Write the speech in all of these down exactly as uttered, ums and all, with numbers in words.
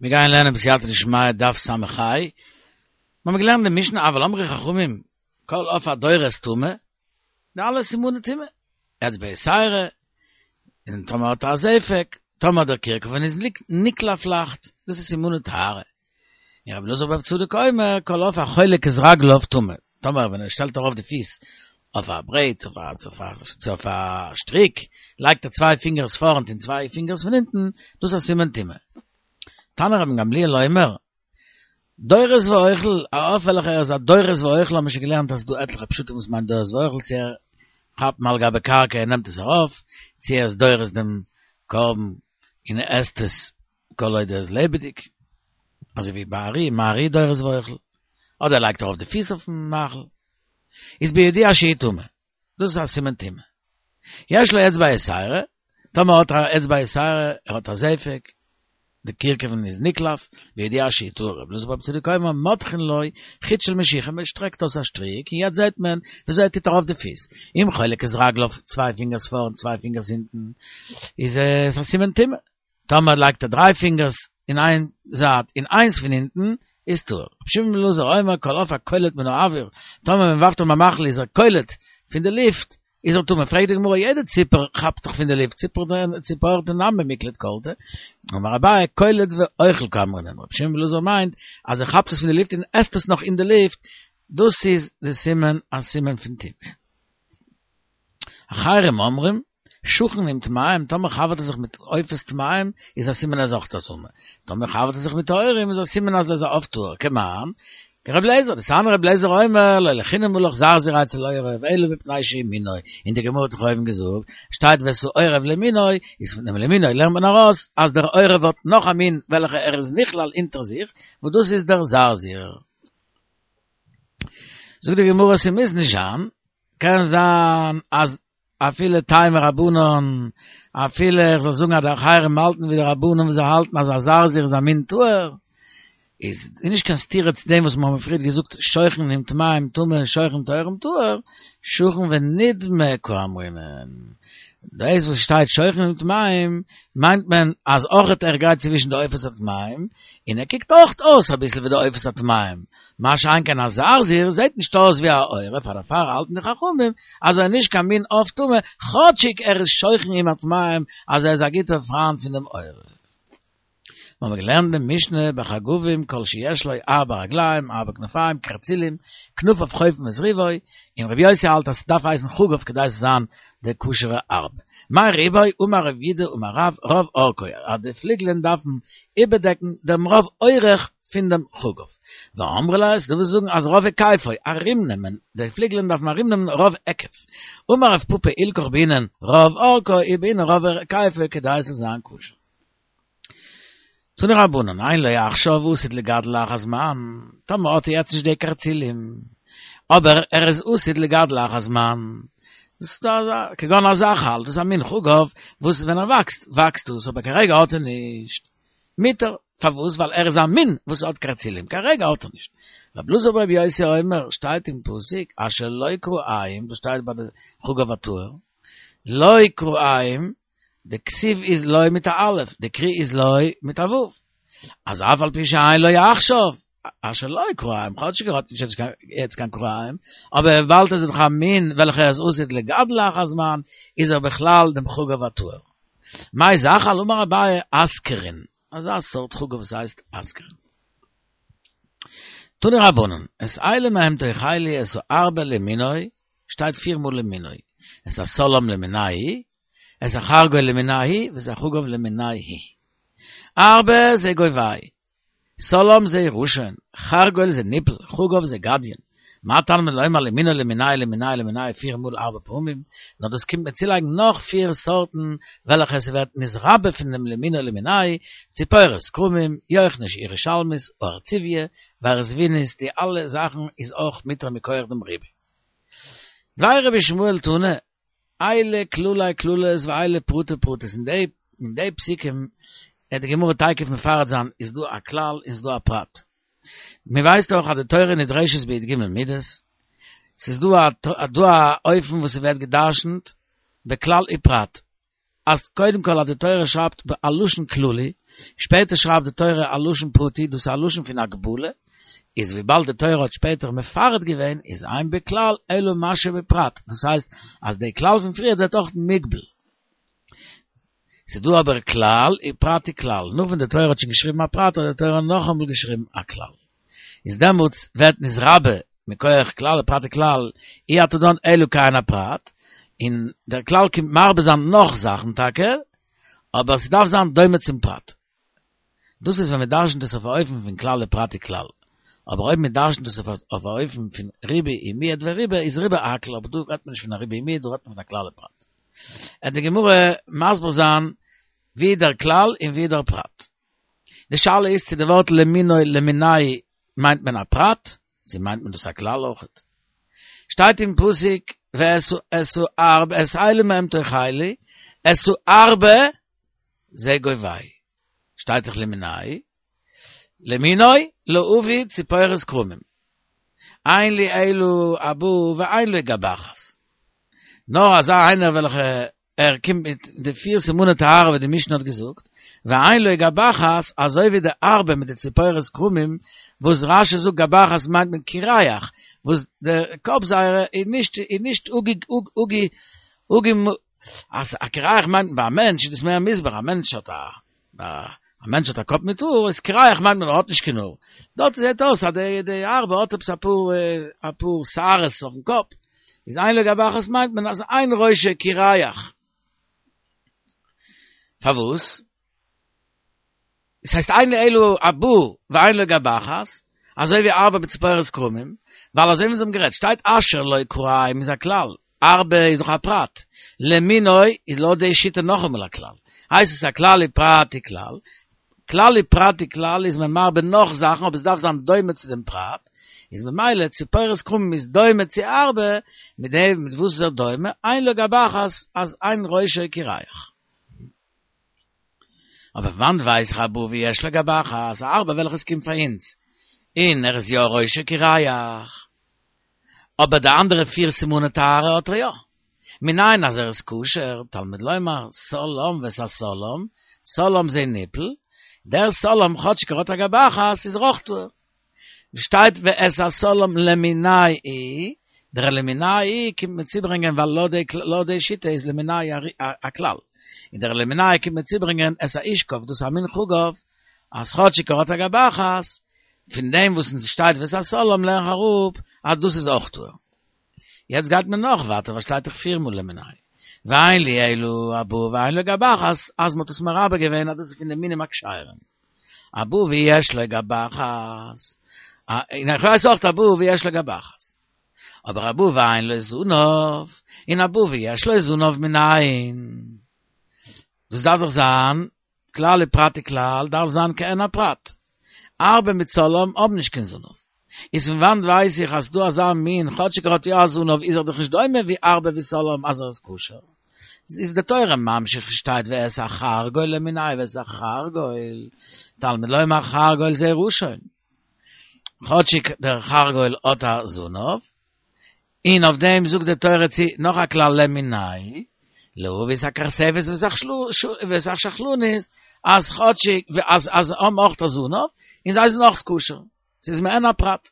מיר גייען לערנען בסייעתא דשמיא דף ס"ה. מיר האבן געלערנט די משנה אבל אמרו חכמים כל עוף הדורס טמא, די אלע סימני טומאה, אצבע יתירה, און טאמער האט ער א זפק, טאמער דער קרקפן איז נקלף לייכט, דאס איז סימני טהרה. און רבי אלעזר ברבי צדוק אומר כל עוף החולק את רגליו טמא, טאמער ווען ער שטעלט ארויף די פיס אויף א ברעט צו אויף א שטריק, לייגט ער צוויי פינגערס פארנט און צוויי פינגערס פון הינטן, דאס איז א סימן טומאה. תנא רבן גמליאל אומר, דורס ואוכל, א עוף וועלכער איז א דורס ואוכל האבן מיר שוין געלערנט אז ס'איז דא עטליכע פשטים וואס מיינט דורס ואוכל, צו ער כאפט מעל גבי קרקע און נעמט עס ארויף, צו ער איז דורס דעם קרבן און ער עסט עס כל עוד ער איז לעבעדיג, אזוי ווי ביי ארי, מה ארי דורס ואוכל, אדער ער לייגט ארויף די פיס אויפן מאכל, איז בידוע שהוא טמא, דאס איז א סימן טומאה. יש לו אצבע יתירה, טאמער האט ער א אצבע יתירה, ער האט א זפק, די קרקפן איז נקלף, בידוע שהוא טהור, רבי אלעזר ברבי צדוק אומר מותחין לו חוט של משיחה, מען שטרעקט אויס א שטריק און יעצט זעט מען וויאזוי ער טוט ארויף די פיס, אם חולק את רגליו צוויי פינגערס פארנט צוויי פינגערס הינטן, איז עס א סימן טומאה. טאמער לייגט ער דריי פינגערס אין איין זייט און איינס פון הינטן, איז טהור. רבי שמעון בן אלעזר אומר כל עוף הקולט מן האוויר, טאמער מען ווארפט אים א מאכל איז ער קולט פון די לופט, איז ער טמא. פרעגט די גמרא יעדע ציפור כאפט דאך פון די לופט, ציפור דנמי מיקלט קלטי, אמר אביי קולט ואוכל קאמרינן, רבי שמעון בן אלעזר מיינט אז ער כאפט עס פון די לופט און עסט עס נאך אין די לופט, דאס איז די סימן א סימן פון טומאה. אחרים אומרים, שכן עם טמאים, טאמער חבר'ט ער זיך מיט עופות טמאים, איז א סימן אז אויך טמא. טאמער חבר'ט ער זיך מיט טהורים, איז א סימן אז ער איז א עוף טהור. כמאן? כרבי אליעזר, דתניא רבי אליעזר אומר, לא לחינם הלך זרזיר אצל עורב, אלא מפני שהוא מינו. און די גמרא האט דאך אויבן געזאגט, שטייט ואת העורב למינו, איז פון דעם למינו לערנט מען ארויס, אז דער עורב האט נאך א מין וועלכע ער איז נכלל אונטער זיך, וואס דאס איז דער זרזיר. זאגט די גמרא ס'מוז נישט זיין, קען זיין אז אפילו תימא רבנן, אפילו איך זאל זאגן אז די אחרים האלטן ווי די רבנן וואס זיי האלטן אז א זרזיר איז א מין טהור, איז נישט קיין סתירה צו דעם וואס מיר האבן פריערט געזאגט שוכן עם טמאים טמא און שוכן עם טהורים טהור, שכן ונדמה קאמרינן. דאס וואס שטייט שוכן עם טמאים מיינט מען אז אויכעט ער גייט צווישן די עופות הטמאים און ער קוקט אויכט אויס אביסל ווי די עופות הטמאים, מה שאין כן א זרזיר זעט נישט אויס ווי א עורב, פאר דערפאר האלטן די חכמים אז ער איז נישט קיין מין עוף טמא, כאטשיג ער איז שוכן עם הטמאים אז ער איז א גוטער פריינט פון דעם עורב. מיר האבן געלערנט אין משנה בחגבים כל שיש לו ארבע רגליים ארבע כנפיים קרצילים כנפיו חופין את רובו, און רבי יוסי האלט אז ס'דארף הייסן חגב כדי ס'זאל זיין די כשר'ע ארבע. מאי רובו אמר רב יהודה אמר רב רוב אורכו אז די פליגלען דארפן איבערדעקן דעם רוב אורך פון דעם חגב. ואמרי לה, ס'דא וואס זאגן אז רוב היקפו, ארומנעמען, די פליגלען דארפן ארומנעמען רוב היקף. אמר רב פפא הלכך בעינן רוב אורכו ובעינן רוב היקפו כדי ס'זאל זיין כשר. תנו רבנן, אין לו עכשיו ועתיד לגדל לאחר זמן, טאמער האט ער יעצט נישט די קרצילים, אבער ער איז עתיד לגדל לאחר זמן, דאס איז דא אזא, כגון הזחל, דאס איז א מין חגב, וואס ווען ער וואקסט, וואקסט דאס, אבער כרגע האט ער נישט. מותר, פארוואס? ווייל ער איז א מין וואס האט קרצילים, כרגע האט ער נישט. רבי אלעזר ברבי יוסי אומר, שטייט אין פסוק, אשר לו כרעים, דאס שטייט ביי די חגב הטהור, לו כרעים, די כתיב איז לו מיט א א', די קרי איז לו מיט א ו'. אז אף על פי שאין לו עכשיו, אשר לו כרעים, כאטשיג ער האט נישט יעצט קיין כרעים, אבער וויבאלד עס איז דאך א מין וועלכער איז עתיד לגדל לאחר זמן, איז ער בכלל דעם חגב הטהור. מאי זחל אמר אביי אסכרין, אזא סארט חגב וואס הייסט אסכרין. תנו רבנן, את אלה מהם תאכלו את הארבה למינו, שטייט פיר מאל למינו, את הסלעם למינהו, את החרגול למינהו, ואת החגב למינהו. ארבה זה גובאי, סלעם זה ראשון, חרגול זה ניפל, חגב זה גדיין. מה תלמוד לומר למינו למינהו למינהו למינהו פיר מאל ארבע פעמים, נאר דאס קומט מיר צולייגן נאך פיר סארטן וועלכע ס'ווערט נתרבה פון דעם למינו למינהו, ציפורת כרמים, יוכניש ירושלמית, הארצביה, והערזבונית, די אלע זאכן איז אויך מותר מכח דעם ריבוי. דבי רבי ישמעאל תנא, אלה כללי כללות ואלה פרטי פרטות, אין די אין די פסוקים וועט די גמרא תיכף מפרט זיין איז דא א כלל און ס'איז דא א פרט. מען ווייסט דאך אז די תורה נדרשת בי"ג מידות, ס'איז דא א דא א אופן וואס ס'ווערט גע'דרש'נט בכלל ופרט, אז קודם כל אז די תורה שרייבט א לשון כללי, שפעטער שרייבט די תורה א לשון פרטי, דאס איז א לשון פון הגבלה, איז וויבאלד די תורה האט שפעטער מפרט געווען, איז אין בכלל אלא מה שבפרט, דאס הייסט אז די כלל פון פריער ווערט אויך מוגבל. ס'איז דא אבער כלל ופרט וכלל, נאך ווען די תורה האט שוין געשריבן א פרט האט די תורה נאכאמאל געשריבן א כלל. איז דעמאלטס ווערט נתרבה מכח כלל ופרט וכלל, אי אתה דן אלא כעין הפרט, און דער כלל קומט מרבה זיין נאך זאכן טאקע, אבער ס'דארף זיין דומה צום פרט. דאס איז ווען מ'דרשנ'ט עס אויף א אופן פון כלל ופרט וכלל. אבער אויב מ'דרשנ'ט עס אויף א אופן פון ריבוי ומיעוט וריבה איז ריבה הכל, אבער דא רעדט מען נישט פון א ריבוי ומיעוט, דא רעדט מען פון א כלל ופרט. עט די גמרא מסביר זיין ווי דער כלל און ווי דער פרט. די שאלה איז צו די ווארט למינו למיני' מיינט מען א פרט, צו מיינט מען דאס א כלל אויכעט. שטייט אין פסוק ואת את הארבה את האלה מהם תאכלו את הארבה זה גובהו. שטייט דאך למיני' למינו להביא ציפורת כרמים. אין לי אלא הבא ואין לו גבחת. נאר אזא איינער וועלכע ער קומט מיט די פיר סימני טהרה ווי די משנה האט געזאגט, ואין לו גבחת, אזוי ווי די ארבה מיט די ציפורת כרמים, וואס רש"י זאגט גבחת מיינט מען קירח, וואס די קאפ זייערע איז נישט איז נישט אגי אגי אגי אז א קירח מיינט מען ביי א מענטש איז דאס מער מוסבר, א מענטש האט א א מענטש האט א קאפ מיט האר, איז קירח מיינט מען ער האט נישט קיין האר. דארט זעט אויס אז די די ארבה האט עפעס אפאר אפאר שערות אויפן קאפ, איז אין לו גבחת מיינט מען אז אין ראשו קירח. פארוואס? עס הייסט אין לי אלא הבא ואין לו גבחת, אזוי ווי ארבה בציפורת כרמים, ווייל אזוי ווי אונז האבן גערעדט שטייט אשר לו כרעים איז א כלל, ארבה איז דאך א פרט, למינו איז לויט די שיטה נאכאמאל א כלל, הייסט עס א כלל ופרט וכלל, כלל ופרט וכלל איז מען מרבה נאך זאכן אבער עס דארף זיין דומה צו דעם פרט, איז ממילא ציפורת כרמים איז דומה צו ארבה, מיט דעם מיט וואס איז ער דומה, אין לו גבחת אז אין ראשו קירח. אבער וואנעט ווייס איך הבא ויש לו גבחת, א ארבה וועלכעס קומט פאר אונז, און ער איז יא ראשו קירח. אבער די אנדערע פיר סימני טהרה האט ער יא. מנין אז ער איז כשר, תלמוד לומר, סלם ואת הסלם, סלם זה ניפול, דער סלם כאטשיג ער האט א גבחת איז ער אויך טהור. שטייט ואת הסלם למיני', דער למיני' קומט מיר צוברענגען ווייל לויט די שיטה איז למיני' א כלל, און דער למיני' קומט מיר צוברענגען את האשכב דאס איז א מין חגב, אז כאטשיג ער האט א גבחת, פון דעם וואס עס שטייט ואת הסלם לערן איך אראפ אז דאס איז אויך טהור. יעצט גייט מען נאך ווייטער וואס שטייט דאך פיר מאל למיני'. ואין לי אלא הבא ואין לו גבחת אז מ'האט עס מרבה געווען אז דאס איז פון די מינים הכשרים. הבא ויש לו גבחת. און איך ווייס אויך הבא ויש לו גבחת. אבער הבא ואין לו זנב, און הבא ויש לו זנב מנין. דאס דארף דאך זיין כלל ופרט וכלל דארף זיין כעין הפרט. ארבה מיט סלם האבן נישט קיין זנב. איז פון וואנט ווייס איך אז ס'דא אזא מין, כאטשיג ער האט יא א זנב איז ער דאך נישט דומה ווי ארבה וסלם אז ער איז כשר. איז די תורה ממשיך שטייט ואת החרגול למיני' ואת החרגול, תלמוד לומר חרגול זה ראשון. כאטשיג דער חרגול האט א זנב, און אויף דעם זאגט די תורה צו נאך א כלל למיני', להביא את הכרספת ואת השחלנית, אז כאטשיג אז אז האבן אויך א זנב, און זיי זענען אויך כשר, ס'איז מעין הפרט.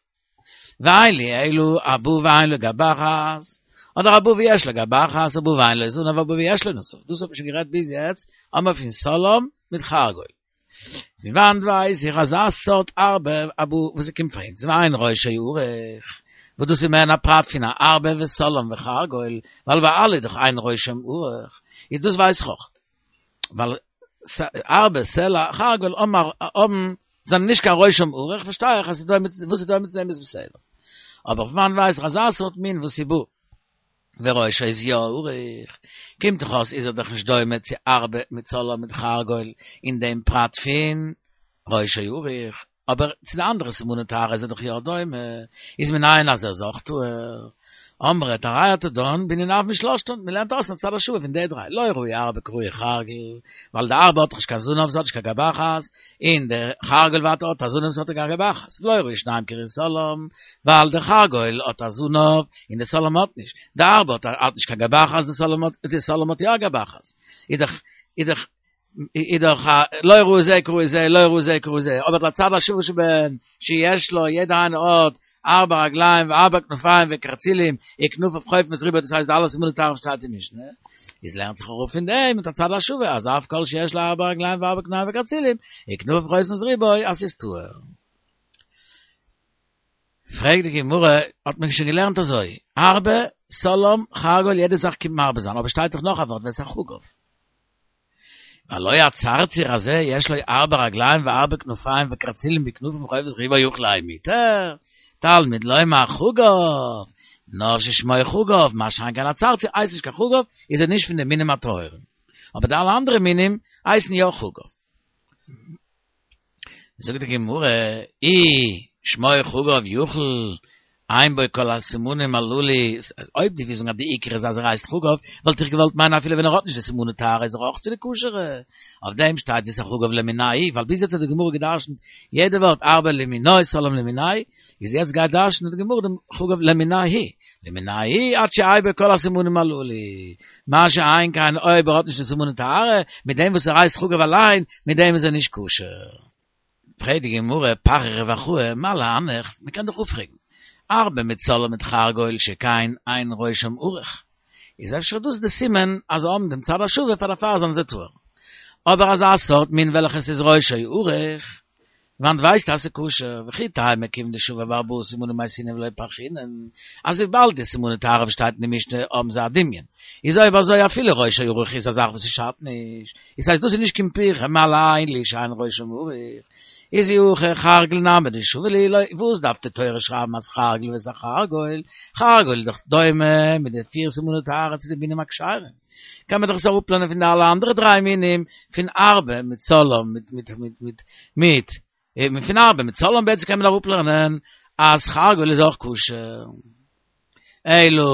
ואין לי אלא הבא ואין לו גבחת, אדער הבא ויש לו גבחת, הבא ואין לו זנב, הבא ויש לו זנב, דאס האט מען שוין גערעדט ביז יעצט, האבן מיר פון סלם מיט חרגול. פון וואנט ווייס איך אזא סארט ארבה הבא וואס ס'קומט פאר אונז ואין ראשו ארוך, וואס דאס איז מעין הפרט פון א ארבה וסלם וחרגול, ווייל ביי אלע איז דאך אין ראשם ארוך, איז דאס ווייס איך אויך. ווייל ארבה, סלע, חרגול האבן זענען נישט קיין ראשם ארוך, פארשטיי איך אז וואס איז דומה צו דעם איז בסדר. אבער פון וואנט ווייס איך אזא סארט מין וואס איז בא וראשו איז יא ארוך, קומט דאך אויס איז ער דאך נישט דומה צו ארבה מיט סלם מיט חרגול אין דעם פרט פון ראשו ארוך, אבער צו די אנדערע סימני טהרה איז ער דאך יא דומה, איז מנין אז ער איז אויך טהור. אמרת הראיה תדון בנין אב משלושתן, מ'לערנט אויס צד השוה פון די דריי. לא ראי ארבע קרוי חרגל, ווייל דער ארבע האט נישט קיין זונב, ס'האט נישט קיין גבחת, אין דער חרגל ווייטער האט א זונב, ס'האט קיין גבחת. לא ראי שניים קרוי סולם, ווייל דער חרגל האט א זונב, אין דער סולם האט נישט. דער ארבע האט האט נישט קיין גבחת, דער סולם האט דער סולם האט יא גבחת. איז דאך איז דאך איז דאך לא ראו זה קרוי זה, לא ראו זה קרוי זה. אבער לצד השוה שבהן, שיש לו יעדער איינער האט ארבע רגליים וארבע כנפיים וקרצילים, וכנפיו חופנות רובו, דאס הייסט אלע סימני טהרה שטייט אין משנה, איז לערנט זיך אראפ פון דעם מיט א צד השוה, אז אף כל שיש לו ארבע רגליים וארבע כנפיים וקרצילים, וכנפיו חופנות רובו, אז ס'איז טהור. פרעגט די גמרא, האט מען שוין געלערנט אזוי, ארבה, סולם, חרגול, יעדע זאך קומט מרבה זיין, אבער שטייט דאך נאך א ווארט, ואת החגב. והלא הצרציר הזה יש לו ארבע רגליים וארבע כנפיים וקרצילים וכנפים חופנות רובו אוכל האי מותר, תלמוד לומר חגב, נאר ששמו חגב, מה שאין כן הצרציר הייסט נישט קיין חגב, איז ער נישט פון די מינים הטהורים. אבער די אלע אנדערע מינים הייסן יא חגב. זאגט די גמרא, אי שמו חגב יוכל, אין בו כל הסימנים הללו, אויב דו ווילסט זאגן אז די עיקר איז אז ער הייסט חגב, וואלט איך געוואלט מיינען אפילו ווען ער האט נישט די סימני טהרה איז ער אויך צו די כשר'ע. אויף דעם שטייט ואת החגב למינייהו, ווייל ביז יעצט האט די גמרא געדרשנט יעדע ווארט ארבה למינו סולם למינייהו, איז יעצט גייט דרשנ'ען די גמרא דעם חגב למינייהו, למינייהו עד שיהא בו כל הסימנים הללו, מה שאין כן אויב ער האט נישט די סימני טהרה, מיט דעם וואס ער הייסט חגב אליין, מיט דעם איז ער נישט כשר. פרעגט די גמרא, פריך רב אחאי, מה להנך, מען קען דאך אפפרעגן, ארבה מיט סולם מיט חרגול שכן אין ראשם ארוך, איז אפשר דאס די סימן אז זיי האבן דעם צד השווה פאר דערפאר זענען זיי טהור. אבער אזא סארט מין וועלכעס איז ראשו ארוך, וואנעט ווייסטו אז ס'איז כשר, וכי תימא כיון דשווה בארבעה סימנים מייתינן ולא פרכינן, אז וויבאלד די סימני טהרה וואס שטייט אין די משנה האבן זיי א דמיון, איז אויב אזוי אפילו ראשו ארוך איז א זאך וואס ס'שאדט נישט, איז הייסט דאס איז נישט קיין פירכא מה להלן שאין ראשם ארוך, איז אי הכי חרגול נמי דשווה להו לא, וואס דארף די תורה שרייבן אז חרגול ואת החרגול, חרגול איז דאך דומה מיט די פיר סימני טהרה צו די מינים הכשרים, קען מען דאך עס אראפלערנען פון די אלע אנדערע דריי מינים, פון ארבה מיט סולם מיט מיט מיט מיט מיט פון ארבה מיט סולם בעצם קען מען אראפלערנען אז חרגול איז אויך כשר. אלא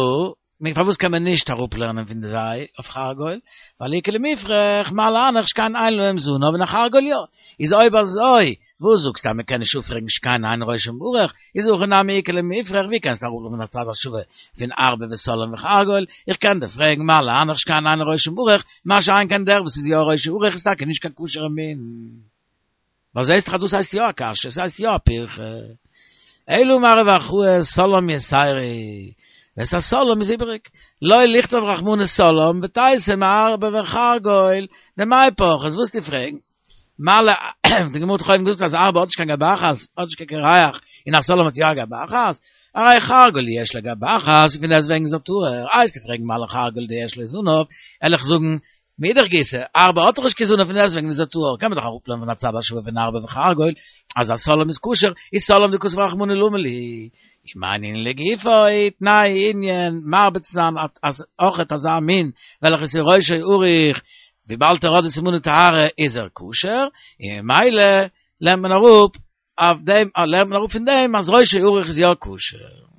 פארוואס קען מען נישט אראפלערנען פון זיי אויף חרגול? ווייל איכא למיפרך מה להנך שכן אין להם זנב און א חרגול יא. איז אויב אזוי וואס זאגסטו אז מען קען נישט אפפרעגן שכן אין ראשם ארוך? איז הכא נמי איכא למיפרך ווי קענסטו אראפלערנען א צד השווה פון ארבה וסולם וחרגול? איך קען דיר פרעגן מה להנך שכן אין ראשם ארוך, מה שאין כן דער וואס איז יא ראשו ארוך איז טאקע נישט קיין כשר'ע מין. ווייל זעהסט דאך אז דאס הייסט יא א קשיא, עס הייסט יא א פירכא. אלא אמר רב אחאי סולם יתירא, ואת הסולם איז איבעריג. לא לכתוב רחמנא סולם ותיתי מארבה וחרגול דמאי פרכת, וואס וועסטו פרעגן? מה ל די גמרא האט דאך אויבן געזאגט אז ארבה האט נישט קיין גבחת, האט נישט קיין קירח, און א סולם האט יא א גבחת, הרי חרגול יש לו גבחת, און פון דעסטוועגן איז ער טהור, איי וועסטו פרעגן מה לחרגול דיש לו זנב, וועל איך זאגן מאידך גיסא, ארבה האט דאך נישט קיין זנב פון דעסטוועגן איז ער טהור, קען מען דאך אראפלערנען פון א צד השווה פון ארבה וחרגול, אז א סולם איז כשר, איז סולם דכתב רחמנא למה לי. אם אין ענין לגופו, תנאי ענין, מרבה צו זיין אז אויכעט אזא מין וועלכעס איז ראשו ארוך, וויבאלד ער האט די סימני טהרה איז ער כשר, און ממילא לערנט מען אראפ אויף דעם, לערנט מען אראפ פון דעם אז ראשו ארוך איז יא כשר.